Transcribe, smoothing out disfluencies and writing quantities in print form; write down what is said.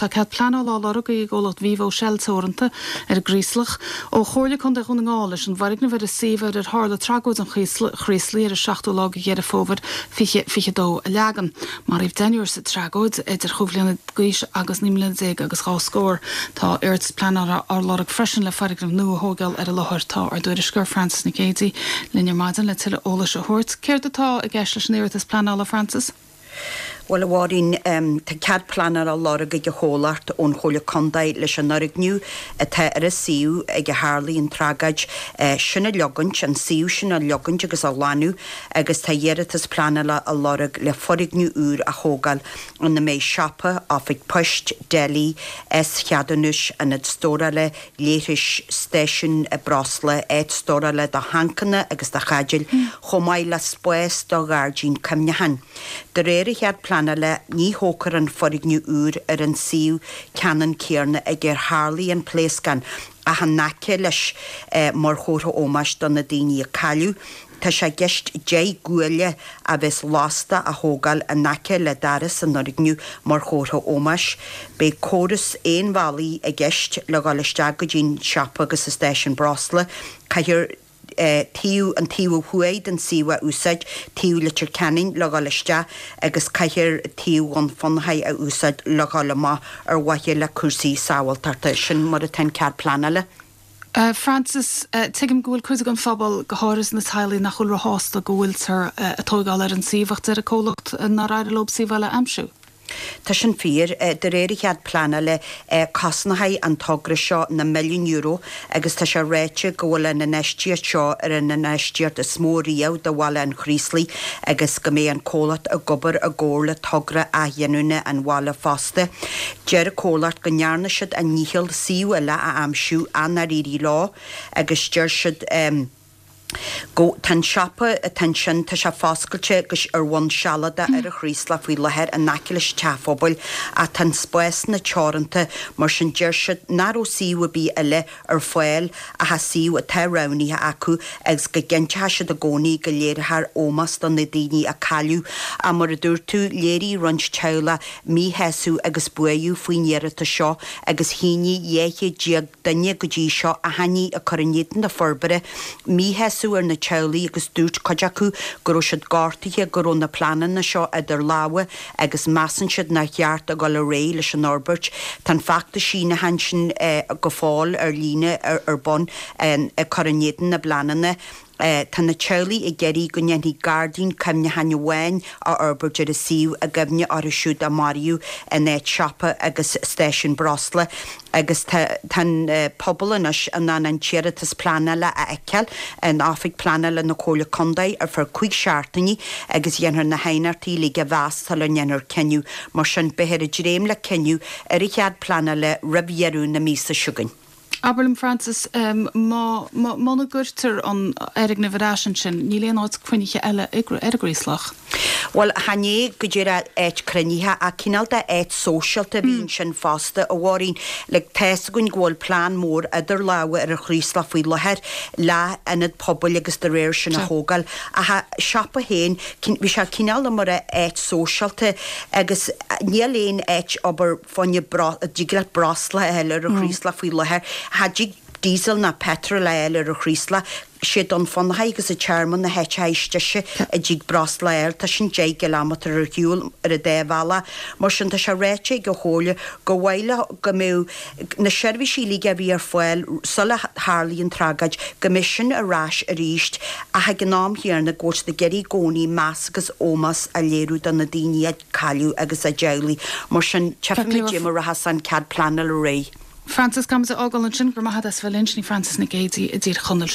Tá cead pleanála á lorg ag an gcomhlacht Vivo Shell Teoranta ar an gCraoslach ó Chomhairle Contae Dhún na nGall leis an bhfoirgneamh ar an suíomh ar ar tharla tragóid an Chraoslaigh ar an 7ú lá de Dheireadh Fómhair 2022 a leagan. Maraíodh deichniúr sa tragóid, idir chúig bhliana d'aois agus 19 mbliana agus dhá scór. Tá iarratas pleanála á lorg freisin le foirgneamh nua a thóigeáil ar an láthair. Tá ár dtuairisceoir Frances Nic Géadaigh linn ar maidin le tuilleadh eolais a thabhairt. Céard atá i gceist leis an iarratas pleanála, Frances? Bhuel, a Mháirín, tá cead pleanála á lorg ag an chomhlacht ón Chomhairle Contae leis an fhoirgneamh atá ar an suíomh ag a tharlaigh an tragóid sin a leogaint, an suíomh sin a leogaint agus a ghlanadh agus tá iarratas pleanála á lorg le foirgneamh úr a thógáil ina mbeidh siopa, oifig poist, deilí, S-cheadúnais, ionad stórála leithris, stáisiún breosla, áit stórála do thancanna agus do chaidéil, chomh maith le spás do ghairdín cuimhneacháin. De réir an chead pleanála, ní thógfar an foirgneamh úr ar an suíomh ceannann céanna ag ar tharlaigh an pléascán ach in aice leis mar chomhartha ómóis do na daoine a cailleadh. Tá sé i gceist 10 gcuaille a bheas lasta a thógáil in aice le doras an fhoirgnimh mar chomhartha ómóis. Beidh córas aonbhealaigh i gceist le dhul isteach go dtí an siopa agus an stáisiún breosla. Caithfear taobh an taobh ó thuaidh den suíomh a úsáid, taobh Leitir Ceanainn, le dhul isteach agus caithfear taobh Dhún Fionnachaidh a úsáid le dhul amach ar mhaithe le cúrsaí sábháilteachta. Sin mar atá an cead pleanála. Frances, Tuigim go bhfuil cuid den phobal, go háirithe na teaghlaigh, nach bhfuil róshásta go bhfuiltear ag tóigeáil ar an suíomh ach deir an comhlacht nár éirigh leo suíomh eile a aimsiú. Tá sin fíor. De réir an chead pleanála, cosnóidh an togra seo na milliúin euro agus tá sé ráite go bhfuil an infheistíocht seo ar an infheistíocht is mó riamh do bhaile an Chraoslaigh agus go mbeidh an comhlacht ag obair i gcomhar le togra athghiniúna an bhaile fosta. Deir an comhlacht go ndearna siad a ndícheall suíomh eile a aimsiú ach nár éirigh leo agus deir siad go tá an siopa atá ansin, tá sé foscailte go ar bhonn sealadach ar an Chraoslach faoi láthair in aice leis an teach phobail ach tá an spásanna teoranta mar sin deir siad nach raibh suíomh ar bith eile ar fáil ach an suíomh atá roghnaithe acu agus go gcinnteoidh siad i gcónaí go léireofar ómós do na daoine a cailleadh. Ach mar a dúirt tú, léirigh roinnt teaghlach míshásamh agus buaireamh faoin iarratas seo agus shínigh 12 duine go dtí seo achainí ag cur in éadan na forbartha. Míshásamh ar na teaghlaigh agus dúirt cuid acu go raibh siad gortaithe go raibh na pleananna seo idir lámha agus measann siad nár cheart a dhul ar aghaidh leis an fhorbairt. Tá an feachtas síniúcháin sin go fóill ar líne ar bun ag cur in éadan na bpleananna. Tá na teaghlaigh ag iarraidh go ndéanfaí gairdín cuimhneacháin amháin a fhorbairt ar an suíomh i gcuimhne orthu siúd a maraíodh in áit siopa agus stáisiún breosla agus tá an pobal anois in ann an t-iarratas pleanála a fheiceáil in Oifig Pleanála na Comhairle Contae ar feadh 5 seachtainí agus dhéanfar na haighneachtaí uilig a mheas sula ndéanfar cinneadh. Mar sin, beifear ag dréim le cinneadh ar an chead pleanála roimh dheireadh na míosa seo chugainn. Abair liom, Frances, má, muna gcuirtear an fhoirgneamh ar ais ansin, níl aon áit cruinnithe eile ar an gCraoslach? Bhuel, chan é go díreach áit cruinnithe, ach cineál de áit sóisialta a bhí ansin fosta, a Mháirín. Like, tá fhios againn go bhfuil plean mór idir lámha ar an Chraoslach faoi láthair le ionad pobail agus de réir sin a thógáil. Ach an siopa féin, bhí sé cineál mar áit sóisialta agus níl aon áit obair fá choinne a dtig leat breosla a fháil ar an Chraoslach faoi láthair. Cha dtig diesel ná petrol a fháil ar an Chraoslach. Sé Dún Fionnachaidh agus an Tearmann na háiteacha is deise a dtig breosla a fháil. Tá sin 10 gcileámetar ar shiúl ar an dá bhealach. Mar sin tá sé ráite ag an Chomhairle gur mhaith leo go mbeadh na seirbhísí uilig a bhí ar fáil sula tharlaigh an tragóid, go mbeadh sin ar ais arís ach ag an am chéanna go bhfuil siad ag iarraidh i gcónaí meas agus ómós a léiriú do na daoine a cailleadh agus a dteaghlaigh. Mar sin, tchífimid cad é mar a rachas an cead pleanála ar aghaidh. Frances, Caithfimid a fhágáil ansin. Go raibh maith agat as bheith linn. Sin í Frances Nic Géadaigh i dTír Chonaill.